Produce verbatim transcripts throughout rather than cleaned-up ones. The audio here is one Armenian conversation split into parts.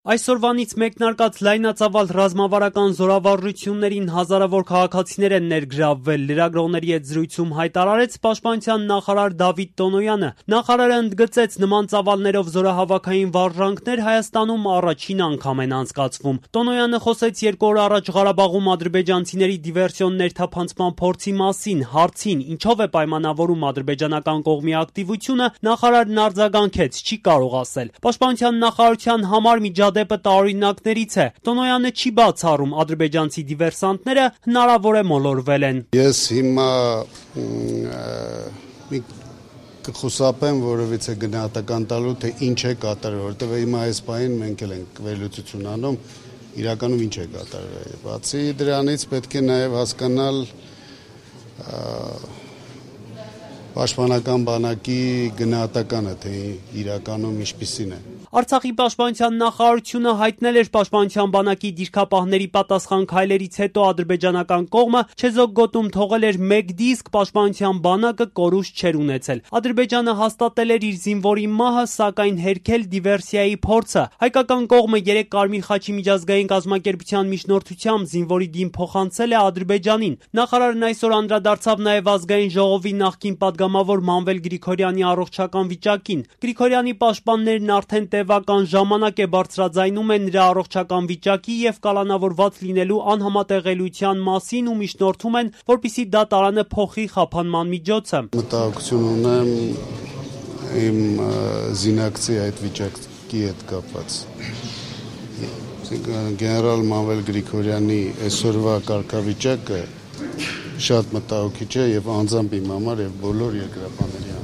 Այսօրվանից մեկնարկած լայնածավալ ռազմավարական զորավարժություններին հազարավոր քաղաքացիներ են ներգրավվել, լրագրողների հետ զրույցում հայտարարեց պաշտպանության նախարար Դավիթ Տոնոյանը։ Նախարարը ընդգծեց, նման ծավալներով զորահավաքային վարժանքներ Հայաստանում առաջին անգամ են անցկացվում։ Տոնոյանը խոսեց երկու օր առաջ Ղարաբաղում ադրբեջանցիների դիվերսիոն ներթափանցման փորձի մասին, հարցին, ինչով է պայմանավորում ադրբեջանական կողմի ակտիվությունը, նախարարն արձագանքեց, չի կարող ասել։ Պաշտպանության նախարարության համար միջադեպը տարօրինակներից է։ Տոնոյանը չի բացառում, ադրբեջանցի դիվերսանտները հնարավոր է մոլորվել են։ Ես հիմա մի կխուսափեմ որևիցե գնահատական տալու, թե ինչ է կատարել, որովհետև հիմա այս պահին մենք էլ ենք վերլուծություն անում, իրականում ինչ է կատարել։ Բացի դրանից պետք է նաև հասկանալ պաշտպանական բանակի գնահատականը, թե իրականում ինչպիսին է։ Արցախի պաշտպանության նախարարությունը հայտնել էր պաշտպանության բանակի դիրքապահների պատասխան քայլերից հետո ադրբեջանական կողմը չեզոք գոտում թողել էր մեկ դիսկ, պաշտպանության բանակը կորուստ չէր ունեցել։ Ադրբեջանը հաստատել էր իր զինվորի մահը, սակայն հերքել դիվերսիայի փորձը։ Հայկական կողմը երեք Կարմիր խաչի միջազգային կազմակերպության միջնորդությամբ զինվորի դին փոխանցել է Ադրբեջանին։ Նախարարն այսօր անդրադարձավ նաև ազգային ժողովի նախկին падգամավոր Մանվել Գրիգորյանի առողջական վիճակին։ Գրիգորյանի պաշտպաններն արդեն տևական ժամանակ է բարձրաձայնում են նրա առողջական վիճակի եւ կալանավորված լինելու անհամատեղելիության մասին ու միջնորդում են, որպեսզի դա տարանը փոխի խափանման միջոցը։ Մտահոգություն ունեմ իմ զինակցի այդ վիճակի հետ կապված։ Գեներալ Մանվել Գրիգորյանի այսօրվա կարգավիճակը շատ մտահոգիչ է եւ անձամբ իմ համար եւ բոլոր երկրապահների համար։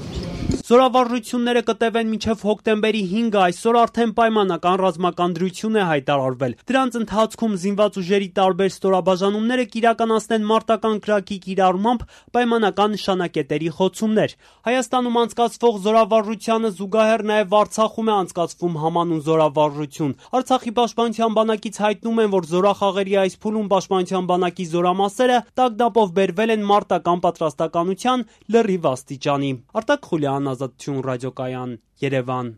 Զորավարժությունները կտևեն մինչև հոկտեմբերի հինգը, այսօր արդեն պայմանական ռազմական դրություն է հայտարարվել։ Դրանց ընթացքում զինված ուժերի տարբեր ստորաբաժանումները կիրականացնեն մարտական կրակի կիրառմամբ պայմանական նշանակետերի խոցումներ։ Հայաստանում անցկացվող զորավարժությանը զուգահեռ նաև Արցախում է անցկացվում համանուն զորավարժություն։ Արցախի պաշտպանության բանակից հայտնում են, որ զորախաղերի այս փուլում պաշտպանության բանակի զորամասերը տագնապով բերվել են մարտական պատրաստականության լրիվ աստիճանի։ Արտակ Խուլյան, Ազատություն ռադիոկայան, Երևան։